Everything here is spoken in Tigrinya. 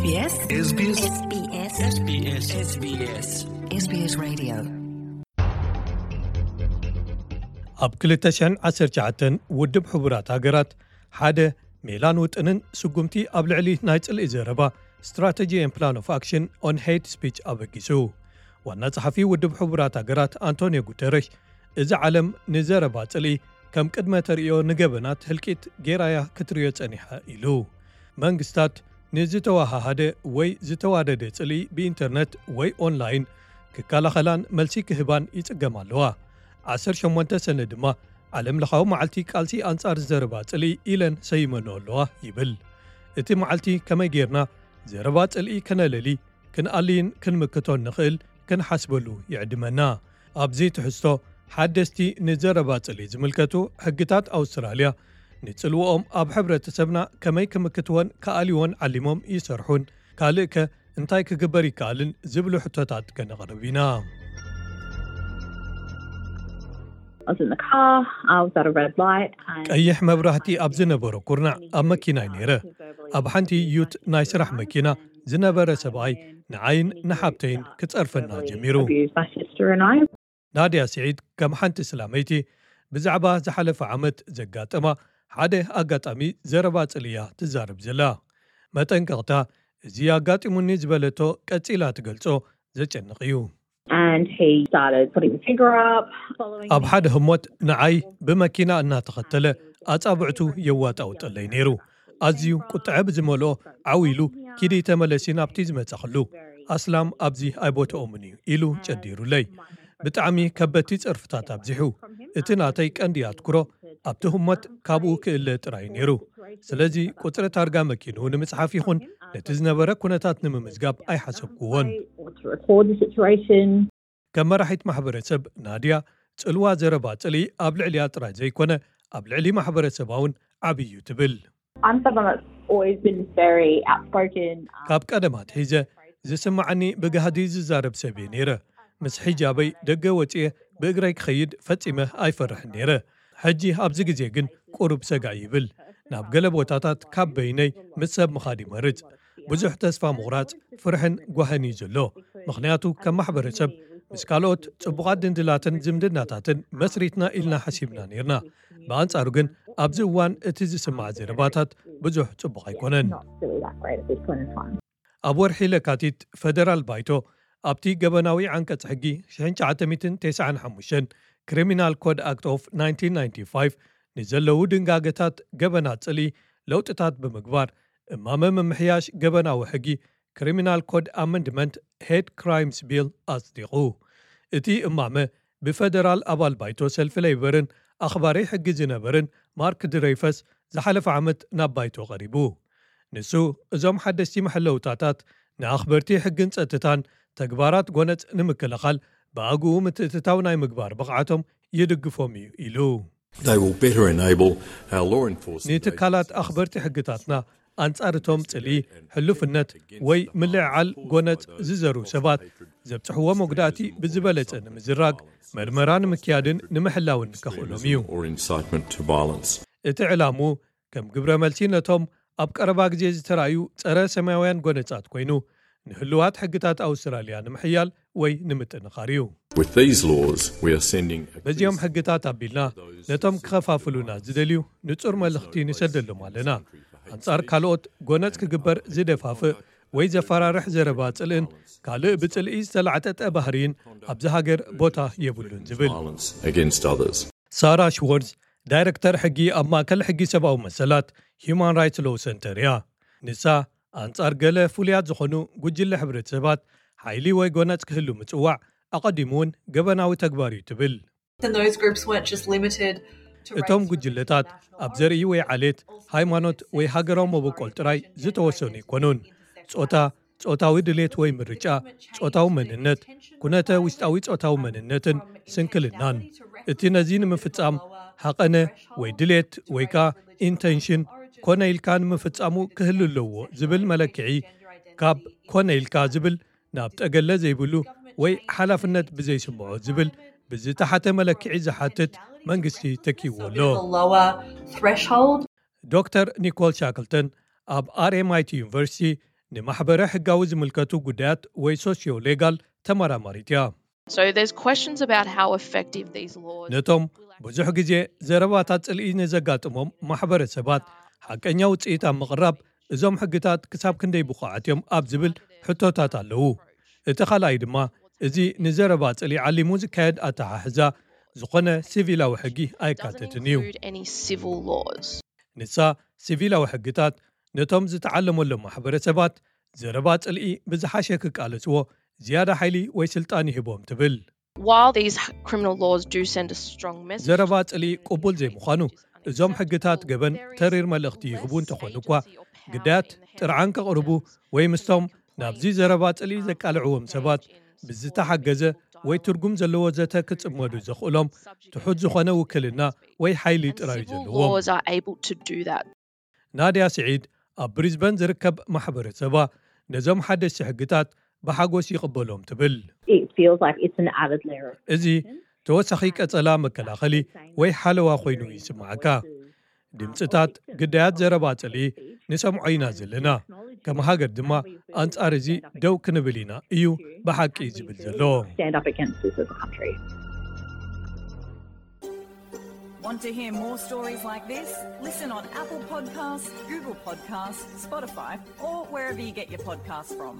SBS SBS SBS SBS Radio ኣብ ክልተ ሽሕን ዓሰርተ ትሽዓተን ውድብ ሕቡራት ሃገራት ሓደ ሜላን ውጥንን ስጉምቲ ኣብ ልዕሊ ናይ ጽልኢ ዘረባ Strategy and Plan of Action on Hate Speech ኣበጊሱ። ዋና ጸሓፊ ውድብ ሕቡራት ሃገራት ኣንቶኒዮ ጉተረሽ፣ እዚ ዓለም ንዘረባ ጽልኢ ከም ቅድመ ተርእዮ ንገበናት ህልቂት ጌራያ ክትርእዮ ጸኒሓ ኢሉ። መንግስታት ንዝተዋሃሃደ ወይ ዝተዋደደ ጽልኢ ብኢንተርነት ወይ ኦንላይን ክከላኸላን መልሲ ክህባን ይጽገማ ኣለዋ። ዓሰርተ ሸሞንተ ሰነ ድማ ዓለም ለኻዊ መዓልቲ ቃልሲ ኣንጻር ዘረባ ጽልኢ ኢለን ሰይመንኦ ኣለዋ ይብል። እቲ መዓልቲ ከመይ ጌርና ዘረባ ጽልኢ ከነለሊ፣ ክንኣልይን ክንምክቶን ንኽእል ክንሓስበሉ ይዕድመና። ኣብዚ ትሕዝቶ ሓደስቲ ንዘረባ ጽልኢ ዝምልከቱ ሕግታት ኣውስትራልያ ንጽልዎኦም ኣብ ሕብረተሰብና ከመይ ክምክትዎን ክኣልይዎን ዓሊሞም ይሰርሑን ካልእ ከ እንታይ ክግበር ይከኣልን ዝብሉ ሕቶታት ከነቕርብ ኢና። I was in the car, I was at a red light. And ቀይሕ መብራህቲ ኣብ ዝነበሮ ኩርናዕ ኣብ መኪናይ ነይረ። ኣብ ሓንቲ ዩት ናይ ስራሕ መኪና ዝነበረ ሰብኣይ ንዓይን ንሓብተይን ክጸርፈና ጀሚሩ። Abused my sister and I. ናድያ ስዒድ ከም ሓንቲ ስላመይቲ ብዛዕባ ዝሓለፈ ዓመት ዘጋጠማ ሓደ ኣጋጣሚ ዘረባ ጽልኢ እያ ትዛረብ ዘላ። መጠንቀቕታ እዚ ኣጋጢሙኒ ዝበለቶ ቀጺላ ትገልጾ ዘጨንቕ እዩ። And he started putting the finger up, following ኣብ ሓደ ህሞት ንዓይ ብመኪና እናተኸተለ ኣጻብዕቱ የዋጣውጠለይ ነይሩ። ኣዝዩ ቁጥዐ ብዝመልኦ ዓው ኢሉ ኪዲ ተመለሲ ናብቲ ዝመጻኽሉ ኣስላም ኣብዚ ኣይቦትኦምን እዩ ኢሉ ጨዲሩለይ። ብጣዕሚ ከበድቲ ጸርፍታት ኣብዚሑ። እቲ ናተይ ቀንዲ ኣትኩሮ ኣብቲ ህሞት ካብኡ ክእለ ጥራይ ነይሩ። ስለዚ ቁጽሪ ታርጋ መኪኑ ንምጽሓፍ ይኹን ነቲ ዝነበረ ኩነታት ንምምዝጋብ ኣይሓሰብኩዎን። Or to record the situation. ከም መራሒት ማሕበረሰብ ናድያ ጽልዋ ዘረባ ጽልኢ ኣብ ልዕሊኣ ጥራይ ዘይኮነ ኣብ ልዕሊ ማሕበረሰባ እውን ዓብዪ እዩ ትብል። I'm someone that's always been very outspoken. ካብ ቀደም ኣትሒዘ ዝስማዓኒ ብጋህዲ ዝዛረብ ሰብ እየ ነይረ። ምስ ሒጃበይ ደገ ወፅየ ብእግረይ ክኸይድ ፈጺመ ኣይፈርሕን ነይረ። ሕጂ ኣብዚ ግዜ ግን ቁሩብ ሰጋእ ይብል። ናብ ገለ ቦታታት ካብ በይነይ ምስ ሰብ ምኻድ ይመርጽ። ብዙሕ ተስፋ ምቑራጽ፣ ፍርሕን ጓህን እዩ ዘሎ። ምኽንያቱ ከም ማሕበረሰብ ምስ ካልኦት ጽቡቓት ድንድላትን ዝምድናታትን መስሪትና ኢልና ሓሲብና ነይርና። ብኣንጻሩ ግን ኣብዚ እዋን እቲ ዝስማዕ ዘረባታት ብዙሕ ጽቡቕ ኣይኮነን። Not really that great at this point in time. ኣብ ወርሒ ለካቲት ፈደራል ባይቶ ኣብቲ ገበናዊ ዓንቀጽ ሕጊ ሽሕን ትሽዓተ ሚእትን ተስዓን ሓሙሽተን Criminal Code Act of nineteen ninety-five ንዘለዉ ድንጋገታት ገበናት ጽልኢ ለውጥታት ብምግባር እማመ ምምሕያሽ ገበናዊ ሕጊ Criminal Code Amendment Hate Crimes Bill ኣጽዲቑ። እቲ እማመ ብፈደራል ኣባል ባይቶ ሰልፊ ሌይበርን ኣኽባሪ ሕጊ ዝነበርን ማርክ ድረይፈስ ዝሓለፈ ዓመት ናብ ባይቶ ቀሪቡ። ንሱ እዞም ሓደስቲ መሐለውታታት ንኣኽበርቲ ሕግን ጸጥታን ተግባራት ጎነጽ ንምክልኻል ብኣግኡ ምትእትታው ናይ ምግባር ብቕዓቶም ይድግፎም እዩ ኢሉ። They will better enable our law enforcement ንትካላት ኣኽበርቲ ሕግታትና ኣንጻር እቶም ጽልኢ፣ ሕሉፍነት ወይ ምልዕዓል ጎነጽ ዝዘሩ ሰባት ዘብጽሕዎ መጉዳእቲ ብዝበለጸ ንምዝራግ መርመራ ንምክያድን ንምሕላውን ከኽእሎም እዩ። or incitement to violence. እቲ ዕላሙ ከም ግብረ መልሲ ነቶም ኣብ ቀረባ ግዜ ዝተራእዩ ጸረ ሰማያውያን ጎነጻት ኮይኑ ንህልዋት ሕግታት ኣውስትራልያ ንምሕያል ወይ ንምጥንኻር እዩ። With these laws, we are sending a በዚኦም ሕግታት ኣቢልና ነቶም ክኸፋፍሉና ዝደልዩ ንጹር መልእኽቲ ንሰደሎም ኣለና። ኣንጻር ካልኦት ጎነጽ ክግበር ዝደፋፍእ ወይ ዘፈራርሕ ዘረባ ጽልእን ካልእ ብጽልኢ ዝተላዕጠጠ ባህርይን ኣብዚ ሃገር ቦታ የብሉን ዝብል። violence against others. ሳራ ሽወርዝ ዳይረክተር ሕጊ ኣብ ማእከል ሕጊ ሰብኣዊ መሰላት ሂዩማን ራይትስ ሎው ሰንተር እያ። ንሳ ኣንጻር ገለ ፍሉያት ዝኾኑ ጉጅለ ሕብረተሰባት ሓይሊ ወይ ጎነጽ ክህሉ ምጽዋዕ ኣቐዲሙ እውን ገበናዊ ተግባር እዩ ትብል። And those groups weren't just limited to እቶም ጉጅለታት ኣብ ዘርኢ ወይ ዓሌት፣ ሃይማኖት ወይ ሃገራዊ መበቆል ጥራይ ዝተወሰኑ ኣይኮኑን። ጾታ፣ ጾታዊ ድሌት ወይ ምርጫ፣ ጾታዊ መንነት፣ ኩነተ ውሽጣዊ ጾታዊ መንነትን ስንክልናን። እቲ ነዚ ንምፍጻም ሃቐነ ወይ ድሌት ወይ ከኣ ኢንተንሽን ኮነ ኢልካ ንምፍጻሙ ክህሉ ኣለዎ ዝብል መለክዒ ካብ ኮነ ኢልካ ዝብል ናብ ጠገለ ዘይብሉ ወይ ሓላፍነት ብዘይስምዖ ዝብል ብዝተሓተ መለክዒ ዝሓትት መንግስቲ ተኪዎ ኣሎ። a lower threshold. ዶክተር ኒኮል ሻክልተን ኣብ ኣርኤምኣይቲ ዩኒቨርሲቲ ንማሕበረ ሕጋዊ ዝምልከቱ ጉዳያት ወይ ሶሲዮ ሌጋል ተመራማሪት እያ። So there's questions about how effective these laws ነቶም ብዙሕ ግዜ ዘረባታት ጽልኢ ንዘጋጥሞም ማሕበረሰባት ሓቀኛ ውጽኢት ኣብ ምቕራብ እዞም ሕግታት ክሳብ ክንደይ ብቑዓት እዮም ኣብ ዝብል ሕቶታት ኣለዉ። እቲ ካልኣይ ድማ እዚ ንዘረባ ጽልኢ ዓሊሙ ዝካየድ ኣተሓሕዛ ዝኾነ ሲቪላዊ ሕጊ ኣይካተትን እዩ። Include any civil laws. ንሳ ሲቪላዊ ሕግታት ነቶም ዝተዓለመሎም ማሕበረሰባት ዘረባ ጽልኢ ብዝሓሸ ክቃለስዎ ዝያዳ ሓይሊ ወይ ስልጣን ይህቦም ትብል። While these criminal laws do send a strong message, ዘረባ ጽልኢ ቅቡል ዘይምዃኑ እዞም ሕግታት ገበን ተሪር መልእኽቲ ይህቡ እንተኾኑ እኳ ግዳያት ጥርዓን ከቕርቡ ወይ ምስቶም ናብዚ ዘረባ ጽልኢ ዘቃልዕዎም ሰባት ብዝተሓገዘ ወይ ትርጉም ዘለዎ ዘተ ክጽመዱ ዘኽእሎም ትሑት ዝኾነ ውክልና ወይ ሓይሊ ጥራይ እዩ ዘለዎም። Laws are able to do that. ናድያ ስዒድ ኣብ ብሪዝበን ዝርከብ ማሕበረሰባ ነዞም ሓደሽቲ ሕግታት ብሓጎስ ይቕበሎም ትብል። It feels like it's an added layer of እዚ ተወሳኺ ቀጸላ መከላኸሊ ወይ ሓለዋ ኮይኑ ይስምዓካ። ድምፅታት ግዳያት ዘረባ ጽልኢ ንሰምዖ ኢና ዘለና። ከም ሃገር ድማ ኣንጻር እዚ ደው ክንብል ኢና እዩ ብሓቂ ዝብል ዘሎ። Stand up against this as a country. Want to hear more stories like this? Listen on Apple Podcasts, Google Podcasts, Spotify, or wherever you get your podcasts from.